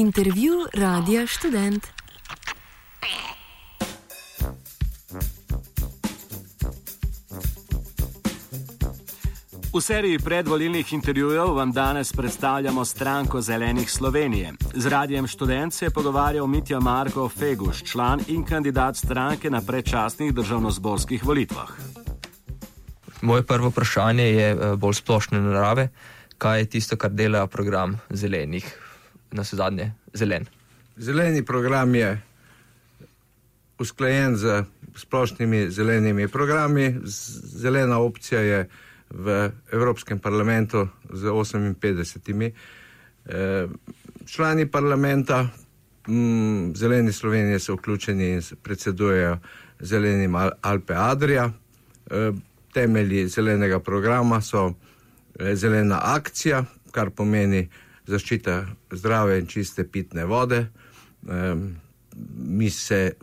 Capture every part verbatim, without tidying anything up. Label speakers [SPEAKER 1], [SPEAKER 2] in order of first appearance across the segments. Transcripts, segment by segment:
[SPEAKER 1] Intervju Radia Študent.
[SPEAKER 2] V seriji predvolilnih intervjujev vam danes predstavljamo stranko Zelenih Slovenije. Z Radijem Študent se je pogovarjal Mitja Marko Feguš, član in kandidat stranke na predčasnih državnozborskih volitvah.
[SPEAKER 3] Moje prvo vprašanje je bolj splošne narave. Kaj je tisto, kar dela program Zelenih, na zadnje zelen?
[SPEAKER 4] Zeleni program je usklajen z splošnimi zelenimi programi. Zelena opcija je v Evropskem parlamentu z oseminpetdesetimi eh, člani parlamenta. Mm, Zeleni Slovenije so vključeni in predsedujejo Zelenim Alpe Adria. Eh, temelji zelenega programa so eh, zelena akcija, kar pomeni zaščita zdrave in čiste pitne vode. Eh, mi se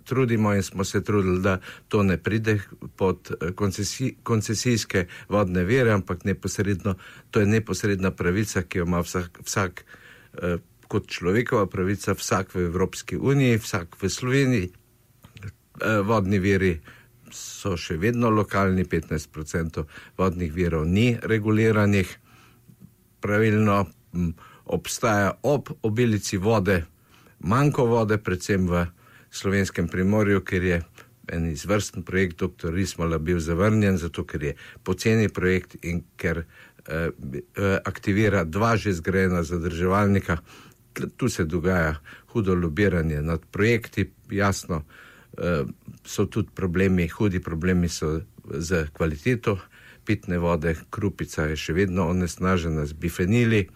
[SPEAKER 4] trudimo in smo se trudili, da to ne pride pod koncesi, koncesijske vodne vire, ampak neposredno, to je neposredna pravica, ki jo ima vsak, vsak eh, kot človekova pravica, vsak v Evropski uniji, vsak v Sloveniji. Eh, vodni viri so še vedno lokalni, petnajst procentov vodnih virov ni reguliranih. Pravilno m, obstaja ob obilici vode, manjko vode, predvsem v Slovenskem Primorju, ker je en izvrsten projekt doktor Rismola bil zavrnjen, zato ker je poceni projekt in ker eh, aktivira dva že zgrajena zadrževalnika. Tu se dogaja hudo lobiranje nad projekti, jasno, eh, so tudi problemi, hudi problemi so z kvaliteto pitne vode, Krupica je še vedno onesnažena z bifenili,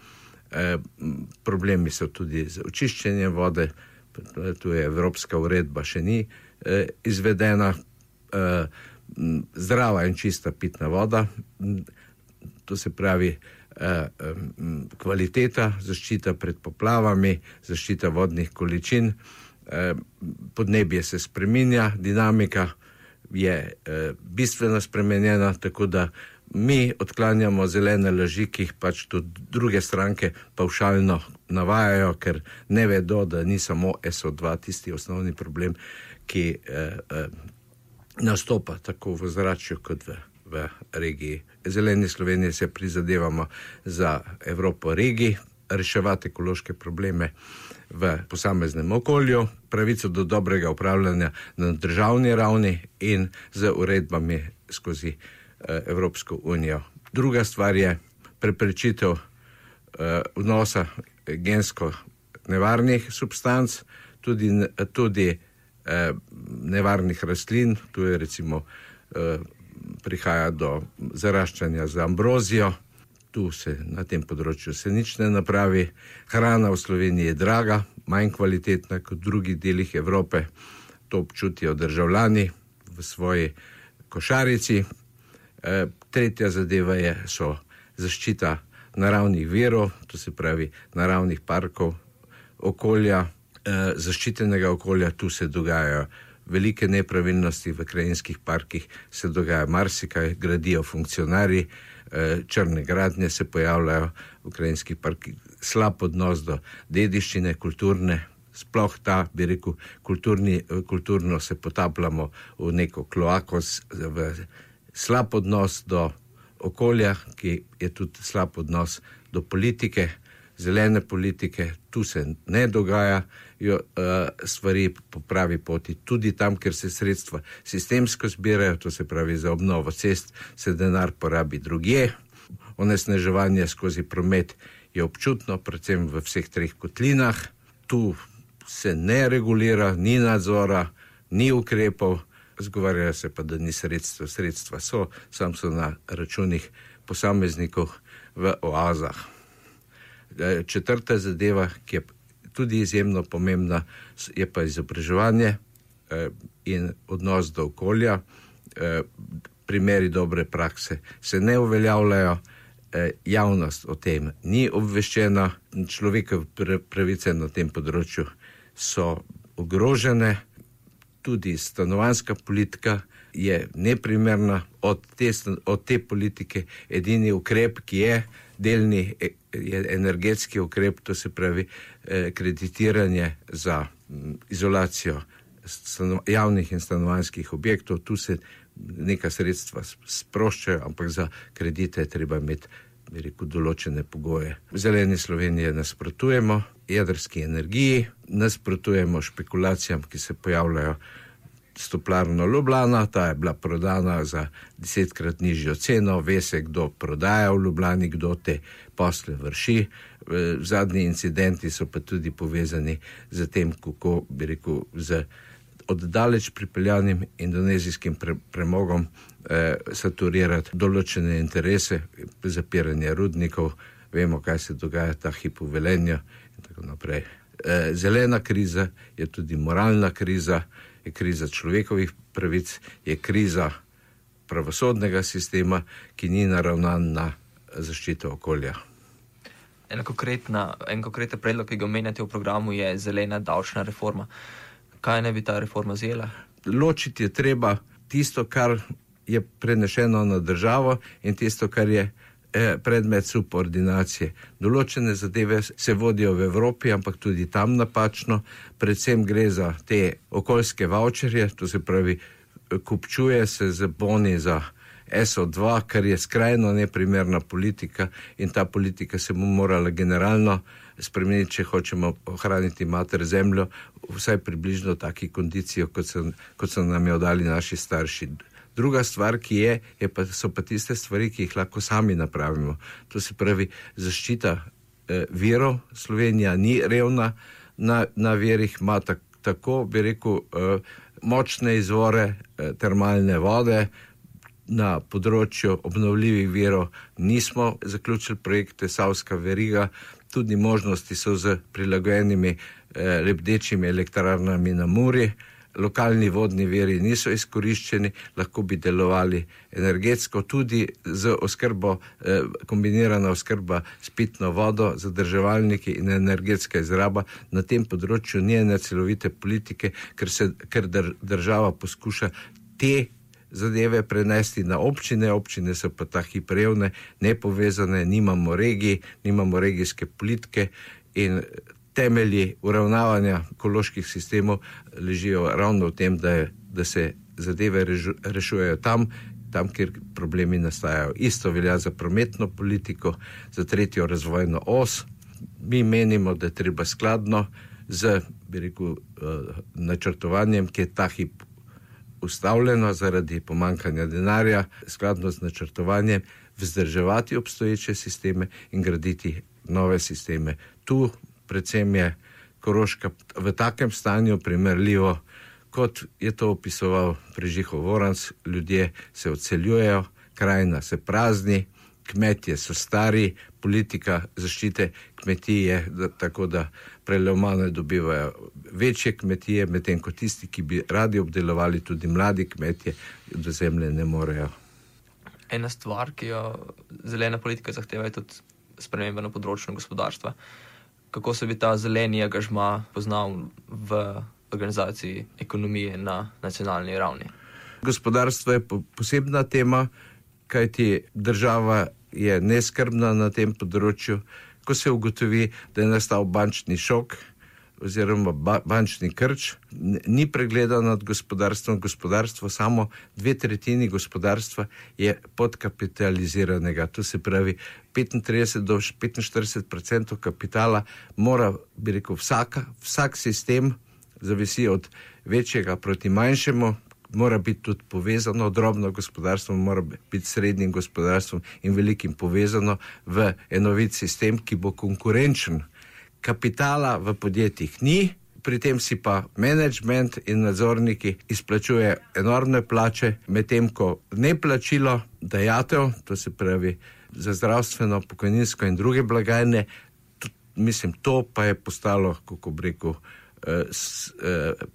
[SPEAKER 4] eh, problemi so tudi z očiščenjem vode. Tu je evropska uredba še ni eh, izvedena, eh, zdrava in čista pitna voda, to se pravi eh, kvaliteta, zaščita pred poplavami, zaščita vodnih količin, eh, podnebje se spreminja, dinamika je eh, bistveno spremenjena, tako da mi odklanjamo zelene laži, ki jih pač tudi druge stranke pavšalno navajajo, ker ne vedo, da ni samo S O dva tisti osnovni problem, ki eh, eh, nastopa tako v zračju kot v, v regiji. Zeleni Sloveniji se prizadevamo za Evropo regij, reševati ekološke probleme v posameznem okolju, pravico do dobrega upravljanja na državni ravni in z uredbami skozi Evropsko unijo. Druga stvar je preprečitev uh, vnosa gensko nevarnih substanc, tudi, tudi uh, nevarnih rastlin. Tu je recimo uh, prihaja do zaraščanja za ambrozijo. Tu se na tem področju se nič ne napravi. Hrana v Sloveniji je draga, manj kvalitetna kot v drugih delih Evrope. To občutijo državljani v svoji košarici. Tretja zadeva je, so zaščita naravnih virov, to se pravi naravnih parkov, okolja, zaščitenega okolja. Tu se dogajajo velike nepravilnosti, v krajinskih parkih se dogaja marsikaj, gradijo funkcionarji, črne gradnje se pojavljajo v krajinskih parkih, slab odnos do dediščine, kulturne, sploh ta, bi rekel, kulturni, kulturno se potapljamo v neko kloako, v slab odnos do okolja, ki je tudi slab odnos do politike, zelene politike. Tu se ne dogajajo uh, stvari po pravi poti. Tudi tam, kjer se sredstva sistemsko zbirajo, to se pravi za obnovo cest, se denar porabi drugje. Onesnaževanje skozi promet je občutno, predvsem v vseh treh kotlinah. Tu se ne regulira, ni nadzora, ni ukrepov. Zgovarjajo se pa, da ni sredstva. Sredstva so, sam so na računih posameznikov v oazah. Četrta zadeva, ki je tudi izjemno pomembna, je pa izobraževanje in odnos do okolja. Primeri dobre prakse se ne uveljavljajo, javnost o tem ni obveščena, človekove pravice na tem področju so ogrožene. Tudi stanovanjska politika je neprimerna. Od te, od te politike edini ukrep, ki je delni je energetski ukrep, to se pravi kreditiranje za izolacijo javnih in stanovanjskih objektov. Tu se neka sredstva sproščajo, ampak za kredite je treba imeti, bi rekel, določene pogoje. V Zeleni Sloveniji nasprotujemo jedrski energiji, nasprotujemo špekulacijam, ki se pojavljajo s Toplarno Ljubljana. Ta je bila prodana za desetkrat nižjo ceno, ve se, kdo prodaja v Ljubljani, kdo te posle vrši. Zadnji incidenti so pa tudi povezani z tem, kako, bi rekel, z oddaleč pripeljanim indonezijskim pre, premogom eh, saturirati določene interese, zapiranje rudnikov. Vemo, kaj se dogaja ta hip v Velenju in tako naprej. Eh, zelena kriza je tudi moralna kriza, je kriza človekovih pravic, je kriza pravosodnega sistema, ki ni naravnan na zaščito okolja.
[SPEAKER 3] En konkretna, en konkreten predlog, ki ga omenjate v programu, je zelena davčna reforma. Kaj ne bi ta reforma zjela?
[SPEAKER 4] Ločiti je treba tisto, kar je prenešeno na državo in tisto, kar je predmet subordinacije. Določene zadeve se vodijo v Evropi, ampak tudi tam napačno. Predvsem gre za te okoljske vaučerje, to se pravi, kupčuje se z boni za S O dva, kar je skrajno neprimerna politika in ta politika se bo morala generalno spremeniti, če hočemo ohraniti mater zemljo, vsaj približno taki kondicijo, kot so, kot so nam jo dali naši starši. Druga stvar, ki je, je pa, so pa tiste stvari, ki jih lahko sami napravimo. To se pravi zaščita eh, virov. Slovenija ni revna na, na virih, ima tak, tako, bi rekel, eh, močne izvore eh, termalne vode. Na področju obnovljivih virov nismo zaključili projekte Savska veriga, tudi možnosti so z prilagojenimi eh, lebdečimi elektrarnami na Muri. Lokalni vodni viri niso izkoriščeni, lahko bi delovali energetsko, tudi z oskrbo, eh, kombinirana oskrba s pitno vodo, zadrževalniki in energetska izraba. Na tem področju ni ene celovite politike, ker se ker država poskuša te zadeve prenesti na občine, občine so pa ta hip revne, nepovezane, nimamo regij, nimamo regijske politike in temelji uravnavanja ekoloških sistemov ležijo ravno v tem, da, je, da se zadeve režu, rešujejo tam, tam, kjer problemi nastajajo. Isto velja za prometno politiko, za tretjo razvojno os. Mi menimo, da je treba skladno z, bi rekel, načrtovanjem, ki je ta hip ustavljeno zaradi pomankanja denarja, skladno z načrtovanjem vzdrževati obstoječe sisteme in graditi nove sisteme. Tu predvsem je Koroška v takem stanju primerljivo, kot je to opisoval Prežiho Voranc. Ljudje se odseljujejo, krajina se prazni, kmetje so stari, politika zaščite kmetij je da, tako, da prelomane dobivajo večje kmetije, medtem ko tisti, ki bi radi obdelovali, tudi mladi kmetje, do zemlje ne morejo.
[SPEAKER 3] Ena stvar, ki jo zelena politika zahteva, je tudi sprememba na področju gospodarstva. Kako se bi ta zeleni angažma poznal v organizaciji ekonomije na nacionalni ravni?
[SPEAKER 4] Gospodarstvo je posebna tema, kajti država je neskrbna na tem področju. Ko se ugotovi, da je nastal bančni šok oziroma ba- bančni krč, ni pregleda nad gospodarstvom. Gospodarstvo, samo dve tretjini gospodarstva je podkapitaliziranega. To se pravi, petintrideset do petinštirideset odstotkov kapitala mora, bi rekel, vsaka, vsak sistem zavisi od večjega proti manjšemu, mora biti tudi povezano, drobno gospodarstvo mora biti srednjim gospodarstvom in velikim povezano v enovit sistem, ki bo konkurenčen. Kapitala v podjetjih ni, pri tem si pa management in nadzorniki izplačuje enormne plače, medtem ko neplačilo dajatev, to se pravi za zdravstveno, pokojninsko in druge blagajne, to, mislim, to pa je postalo, kako bi rekel,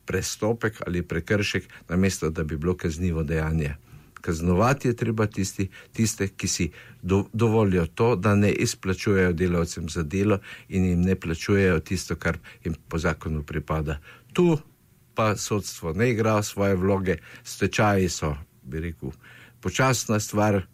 [SPEAKER 4] prestopek ali prekršek, namesto da bi bilo kaznivo dejanje. Kaznovati je treba tisti, tiste, ki si do, dovolijo to, da ne izplačujejo delavcem za delo in jim ne plačujejo tisto, kar jim po zakonu pripada. Tu pa sodstvo ne igra svoje vloge, stečaji so, bi rekel, počasna stvar,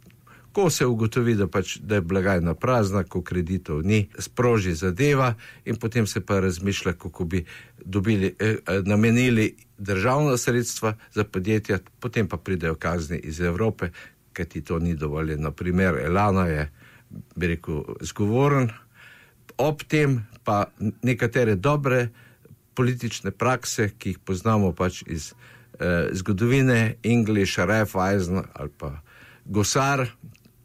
[SPEAKER 4] Ko se ugotovi, da, pač, da je blagajna prazna, ko kreditov ni, sproži zadeva in potem se pa razmišlja, kako bi dobili, eh, namenili državna sredstva za podjetja, potem pa pridejo kazni iz Evrope, ker ti to ni dovoljeno. Primer Elana je, bi rekel, zgovoren. Ob tem pa nekatere dobre politične prakse, ki jih poznamo pač iz eh, zgodovine, English, Raiffeisen ali pa Gosar,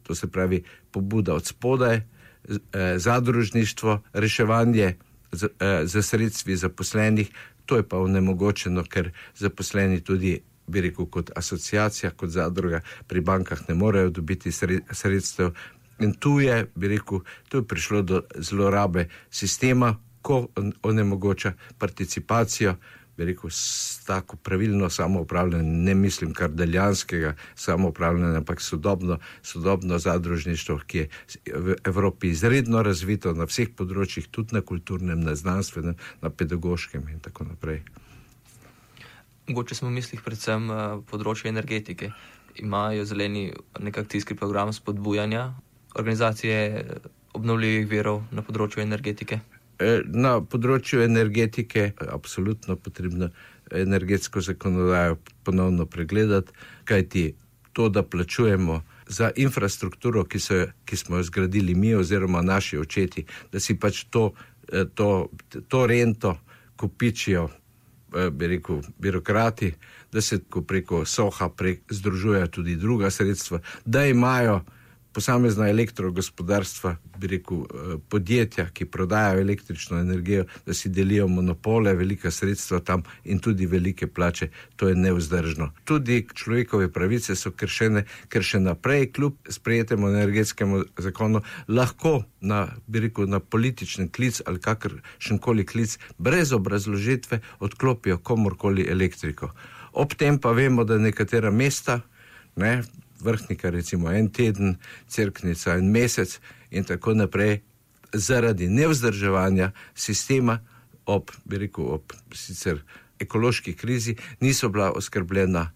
[SPEAKER 4] to se pravi pobuda od spodaj, eh, zadružništvo, reševanje z, eh, za sredstvi zaposlenih, to je pa onemogočeno, ker zaposleni tudi, bi rekel, kot asociacija, kot zadruga pri bankah ne morejo dobiti sredstev. In tu je, bi rekel, tu je prišlo do zlorabe sistema, ko onemogoča participacijo, bi rekel, s tako pravilno samoupravljanje, ne mislim kar deljanskega samoupravljanja, ampak sodobno, sodobno zadružništvo, ki je v Evropi izredno razvito na vseh področjih, tudi na kulturnem, na znanstvenem, na pedagoškem in tako naprej.
[SPEAKER 3] Mogoče smo v mislih predvsem področje energetike. Imajo zeleni nek akcijski program spodbujanja organizacije obnovljivih virov na področju energetike?
[SPEAKER 4] Na področju energetike je absolutno potrebno energetsko zakonodajo ponovno pregledati, kajti to, da plačujemo za infrastrukturo, ki, so, ki smo jo zgradili mi oziroma naši očeti, da si pač to, to, to rento kopičijo, bi rekel, birokrati, da se preko Soha prek, združujejo tudi druga sredstva, da imajo posamezna elektrogospodarstva, bi rekel, podjetja, ki prodajajo električno energijo, da si delijo monopole, velika sredstva tam in tudi velike plače, to je nevzdržno. Tudi človekove pravice so kršene, ker še naprej, kljub sprejetemu energetskemu zakonu, lahko na, bi rekel, na politični klic ali kakršenkoli klic, brez obrazložitve odklopijo komorkoli elektriko. Ob tem pa vemo, da nekatera mesta, ne, Vrhnika recimo en teden, Cerknica en mesec in tako naprej, zaradi nevzdrževanja sistema ob, bi rekel, ob sicer ekološki krizi niso bila oskrbljena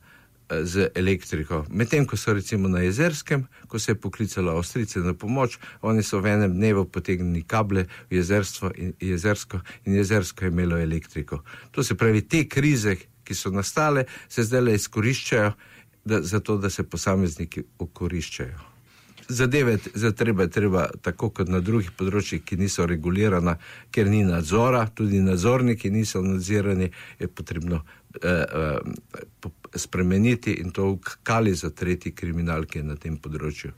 [SPEAKER 4] z elektriko. Medtem, ko so recimo na Jezerskem, ko se je poklicala Avstrijce na pomoč, oni so v enem dnevu potegnili kable v Jezerstvo in Jezersko in Jezersko je imelo elektriko. To se pravi, te krize, ki so nastale, se zdaj izkoriščajo Da, zato, da se posamezniki okoriščajo. Zadeve za treba, treba tako kot na drugih področjih, ki niso regulirana, ker ni nadzora, tudi nadzorniki niso nadzirani, je potrebno eh, eh, spremeniti in to kali za tretji kriminalke na tem področju.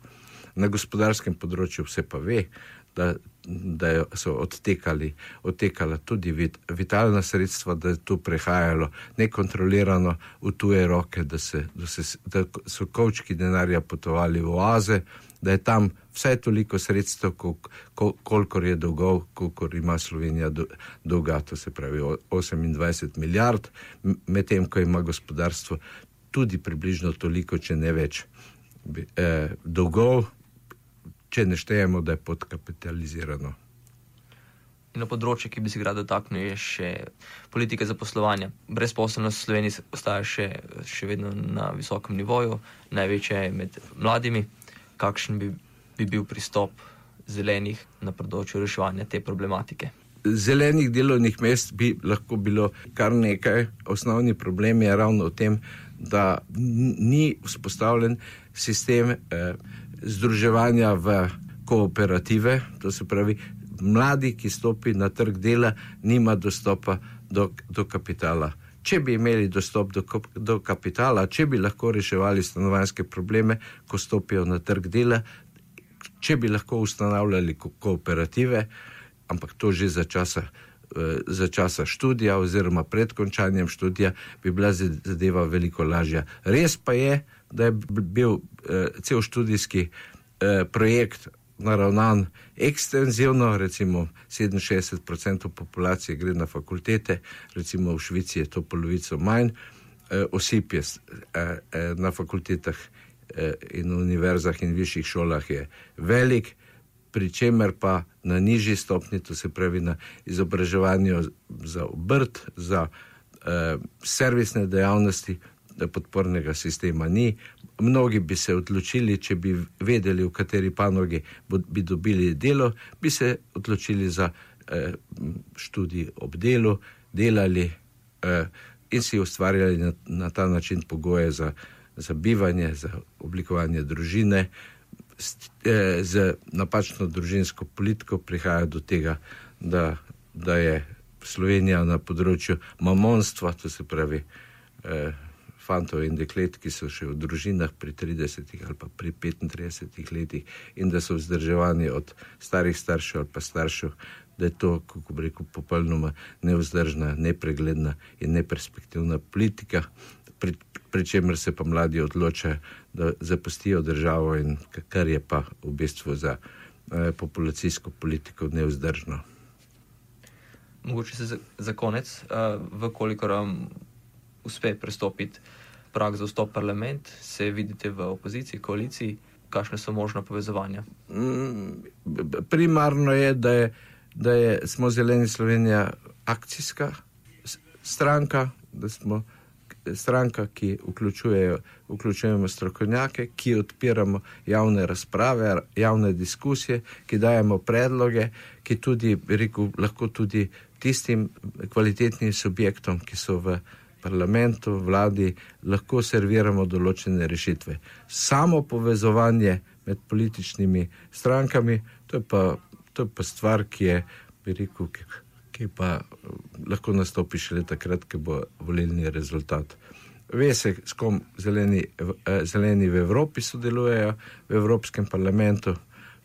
[SPEAKER 4] Na gospodarskem področju vse pa ve, da, da so odtekali, odtekala tudi vit, vitalna sredstva, da je tu prehajalo nekontrolirano v tuje roke, da, se, da, se, da so kovčki denarja potovali v oaze, da je tam vsaj toliko sredstev, kol, kol, kolikor je dolgov, kolikor ima Slovenija do, dolga, to se pravi osemindvajset milijard, medtem ko ima gospodarstvo tudi približno toliko, če ne več eh, dolgov, če ne štejemo, da je podkapitalizirano.
[SPEAKER 3] In na področju, ki bi se ga dotaknil, je še politika zaposlovanja. Brezposelnost v Sloveniji ostaja še, še vedno na visokem nivoju, največja je med mladimi. Kakšen bi, bi bil pristop zelenih na področju reševanja te problematike?
[SPEAKER 4] Zelenih delovnih mest bi lahko bilo kar nekaj. Osnovni problem je ravno v tem, da ni vzpostavljen sistem eh, združevanja v kooperative, to se pravi, mladi, ki stopi na trg dela, nima dostopa do, do kapitala. Če bi imeli dostop do, do kapitala, če bi lahko reševali stanovanjske probleme, ko stopijo na trg dela, če bi lahko ustanavljali ko- kooperative, ampak to že za časa, eh, za časa študija oziroma pred končanjem študija bi bila zadeva veliko lažja. Res pa je, da je bil eh, cel študijski eh, projekt naravnan ekstenzivno, recimo sedeminšestdeset procentov populacije gre na fakultete, recimo v Švici je to polovico manj, eh, osip je eh, eh, na fakultetah eh, in univerzah in višjih šolah je velik, pri čemer pa na nižji stopni, to se pravi na izobraževanju za obrt, za eh, servisne dejavnosti, podpornega sistema ni, mnogi bi se odločili, če bi vedeli, v kateri panogi bi dobili delo, bi se odločili za eh, študij ob delu, delali eh, in si ustvarjali na, na ta način pogoje za, za bivanje, za oblikovanje družine. Z, eh, z napačno družinsko politiko prihaja do tega, da, da je Slovenija na področju mamonstva, to se pravi eh, fantov in deklet, ki so še v družinah pri tridesetih ali pa pri petintridesetih letih in da so vzdrževani od starih staršev ali pa staršev, da je to, kako bi rekel, popolnoma nevzdržna, nepregledna in neperspektivna politika, pri, pri čemer se pa mladi odločajo, da zapustijo državo in kar je pa v bistvu za eh, populacijsko politiko nevzdržno.
[SPEAKER 3] Mogoče se za, za konec, uh, vkolikor vam uspe prestopiti prag za vstop v parlament, se vidite v opoziciji, koaliciji, kakšne so možna povezovanja?
[SPEAKER 4] Mm, primarno je, da, je, da je, smo Zeleni Slovenija akcijska stranka, da smo stranka, ki vključujemo strokovnjake, ki odpiramo javne razprave, javne diskusije, ki dajemo predloge, ki tudi, rekel, lahko tudi tistim kvalitetnim subjektom, ki so v parlamentu, vladi, lahko serviramo določene rešitve. Samo povezovanje med političnimi strankami, to je pa, to je pa stvar, ki je, bi rekel, ki pa lahko nastopi šele takrat, ko bo volilni rezultat. Ve se, s kom zeleni, zeleni v Evropi sodelujejo, v Evropskem parlamentu,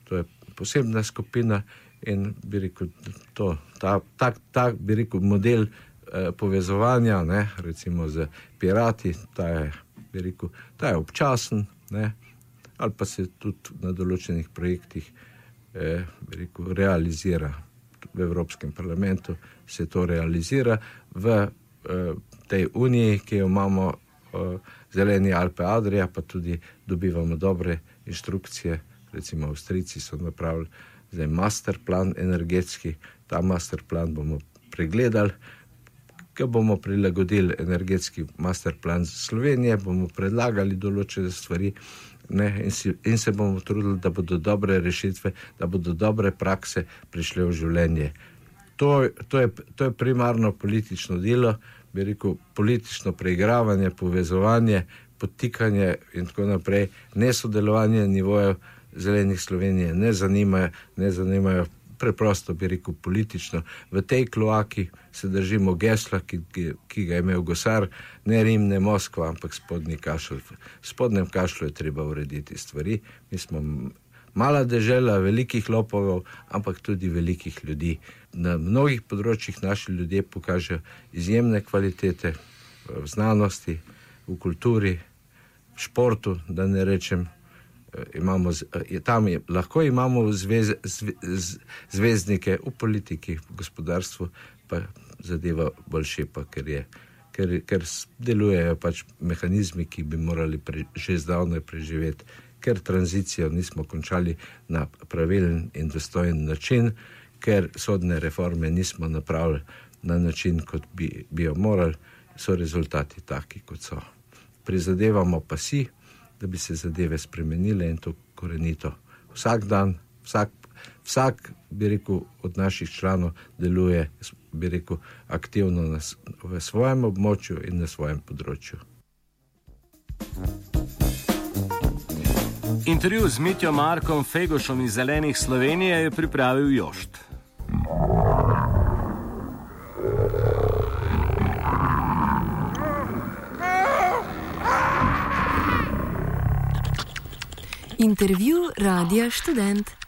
[SPEAKER 4] to je posebna skupina in bi rekel, to, ta, ta, ta bi rekel, model eh, povezovanja, ne, recimo z pirati, ta je, bi rekel, ta je občasen, ne, ali pa se tudi na določenih projektih eh, bi rekel, realizira. V Evropskem parlamentu se to realizira, v uh, tej uniji, ki jo imamo uh, zeleni Alpe Adria, pa tudi dobivamo dobre inštrukcije, recimo Avstrijci so napravili zdaj master plan energetski, ta master plan bomo pregledali, ko bomo prilagodili energetski master plan za Slovenije, bomo predlagali določene stvari, ne, in, si, in se bomo trudili, da bodo dobre rešitve, da bodo dobre prakse prišle v življenje. To, to, je, to je primarno politično delo, bi rekel, politično preigravanje, povezovanje, podtikanje in tako naprej. Nesodelovanje nivojev Zelenih Slovenije ne zanimajo, ne zanimajo preprosto, bi rekel, politično. V tej kloaki se držimo gesla, ki, ki, ki ga je imel Gosar, ne Rim, ne Moskva, ampak spodnji kašelj. V spodnjem kašlju je treba urediti stvari. Mi smo mala dežela, velikih lopovov, ampak tudi velikih ljudi. Na mnogih področjih naši ljudje pokažejo izjemne kvalitete v znanosti, v kulturi, v športu, da ne rečem, imamo, tam je, lahko imamo zvez, zve, zvezdnike v politiki, v gospodarstvu, pa zadeva bolj šepa, ker, je, ker, ker delujejo pač mehanizmi, ki bi morali pre, že zdavnaj preživeti, ker tranzicijo nismo končali na pravilen in dostojen način, ker sodne reforme nismo napravili na način, kot bi, bi jo morali, so rezultati taki, kot so. Prizadevamo pa si, da bi se zadeve spremenile in to korenito. Vsak dan, vsak, vsak, bi rekel, od naših članov deluje, bi rekel, aktivno na, v svojem območju in na svojem področju.
[SPEAKER 2] Intervju z Mitjo Markom Fegušom iz Zelenih Slovenije je pripravil Jošt.
[SPEAKER 1] Intervju Radia Študent.